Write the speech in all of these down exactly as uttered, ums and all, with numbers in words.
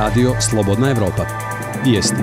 Radio Slobodna Evropa. Vijesti.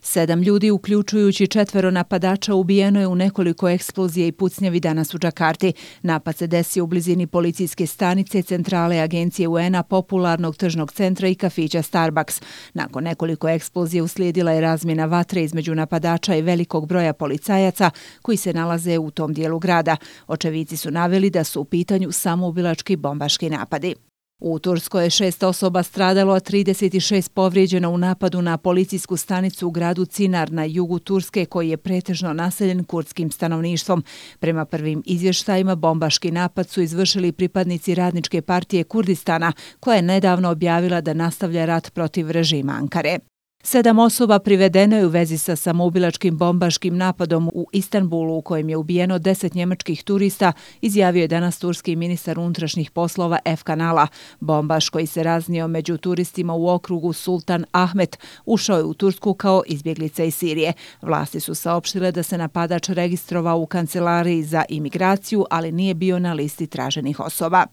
Sedam ljudi, uključujući četvero napadača, ubijeno je u nekoliko eksplozija i pucnjavi danas u Džakarti. Napad se desio u blizini policijske stanice, centrale agencije U N-a, popularnog tržnog centra i kafića Starbucks. Nakon nekoliko eksplozija uslijedila je razmjena vatre između napadača i velikog broja policajaca koji se nalaze u tom dijelu grada. Očevici su naveli da su u pitanju samoubilački bombaški napadi. U Turskoj je šest osoba stradalo, a trideset šest povrijeđeno u napadu na policijsku stanicu u gradu Cinar na jugu Turske, koji je pretežno naseljen kurdskim stanovništvom. Prema prvim izvještajima, bombaški napad su izvršili pripadnici Radničke partije Kurdistana, koja je nedavno objavila da nastavlja rat protiv režima Ankare. Sedam osoba privedeno je u vezi sa samoubilačkim bombaškim napadom u Istanbulu u kojem je ubijeno deset njemačkih turista, izjavio je danas turski ministar unutrašnjih poslova Efkan Ala. Bombaš koji se raznio među turistima u okrugu Sultan Ahmet ušao je u Tursku kao izbjeglica iz Sirije. Vlasti su saopštile da se napadač registrovao u kancelariji za imigraciju, ali nije bio na listi traženih osoba.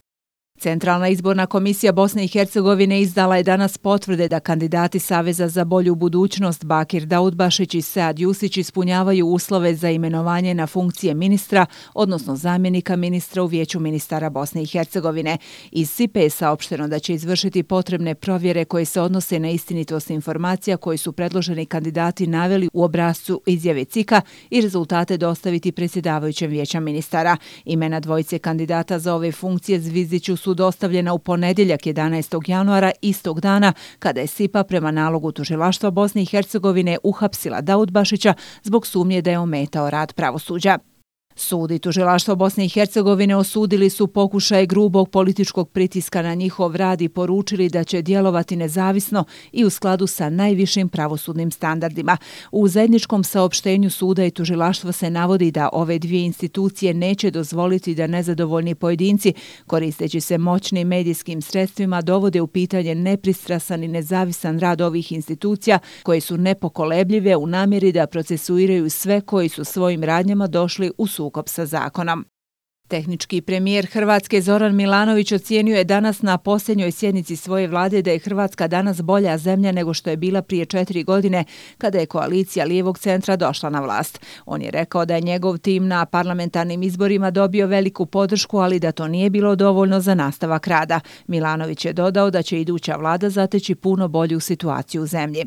Centralna izborna komisija Bosne i Hercegovine izdala je danas potvrde da kandidati Saveza za bolju budućnost Bakir Daudbašić i Sead Jusić ispunjavaju uslove za imenovanje na funkcije ministra, odnosno zamjenika ministra u Vijeću ministara Bosne i Hercegovine. Iz S I P E je saopšteno da će izvršiti potrebne provjere koje se odnose na istinitost informacija koji su predloženi kandidati naveli u obrascu izjave C I K-a i rezultate dostaviti predsjedavajućem Vijeća ministara. Imena dvojice kandidata za ove funkcije Zvizdiću su dostavljena u ponedjeljak jedanaestog januara, istog dana kada je S I P A prema nalogu tužilaštva Bosne i Hercegovine uhapsila Daudbašića zbog sumnje da je ometao rad pravosuđa. Sud i tužilaštvo Bosne i Hercegovine osudili su pokušaj grubog političkog pritiska na njihov rad i poručili da će djelovati nezavisno i u skladu sa najvišim pravosudnim standardima. U zajedničkom saopštenju suda i tužilaštva se navodi da ove dvije institucije neće dozvoliti da nezadovoljni pojedinci, koristeći se moćnim medijskim sredstvima, dovode u pitanje nepristrasan i nezavisan rad ovih institucija koje su nepokolebljive u namjeri da procesuiraju sve koji su svojim radnjama došli u sukob sa zakonom. Tehnički premijer Hrvatske Zoran Milanović ocijenio je danas na posljednjoj sjednici svoje vlade da je Hrvatska danas bolja zemlja nego što je bila prije četiri godine kada je koalicija lijevog centra došla na vlast. On je rekao da je njegov tim na parlamentarnim izborima dobio veliku podršku, ali da to nije bilo dovoljno za nastavak rada. Milanović je dodao da će iduća vlada zateći puno bolju situaciju u zemlji.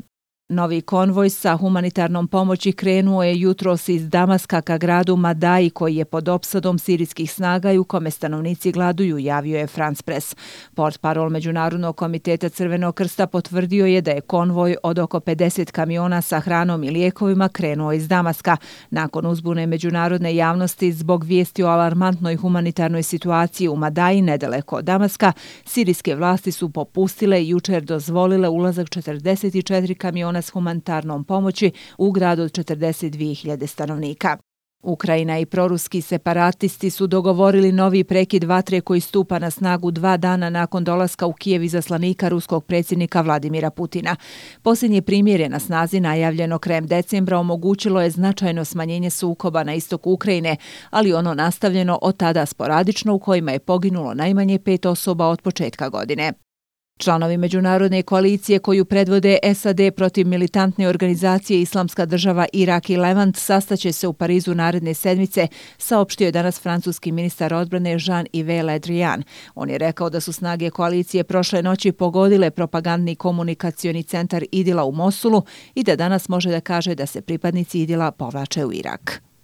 Novi konvoj sa humanitarnom pomoći krenuo je jutros iz Damaska ka gradu Madaji koji je pod opsadom sirijskih snaga i u kome stanovnici gladuju, javio je France Press. Portparol Međunarodnog komiteta Crvenog krsta potvrdio je da je konvoj od oko pedeset kamiona sa hranom i lijekovima krenuo iz Damaska. Nakon uzbune međunarodne javnosti zbog vijesti o alarmantnoj humanitarnoj situaciji u Madaji nedaleko od Damaska, sirijske vlasti su popustile i jučer dozvolile ulazak četrdeset četiri kamiona s humanitarnom pomoći u gradu od četrdeset dvije hiljade stanovnika. Ukrajina i proruski separatisti su dogovorili novi prekid vatre koji stupa na snagu dva dana nakon dolaska u Kijev izaslanika ruskog predsjednika Vladimira Putina. Posljednje primirje na snazi najavljeno krajem decembra omogućilo je značajno smanjenje sukoba na istoku Ukrajine, ali ono nastavljeno od tada sporadično u kojima je poginulo najmanje pet osoba od početka godine. Članovi međunarodne koalicije koju predvode S A D protiv militantne organizacije Islamska država Irak i Levant sastaće se u Parizu naredne sedmice, saopštio je danas francuski ministar odbrane Jean-Yves Le Drian. On je rekao da su snage koalicije prošle noći pogodile propagandni komunikacioni centar Idila u Mosulu i da danas može da kaže da se pripadnici Idila povlače u Irak.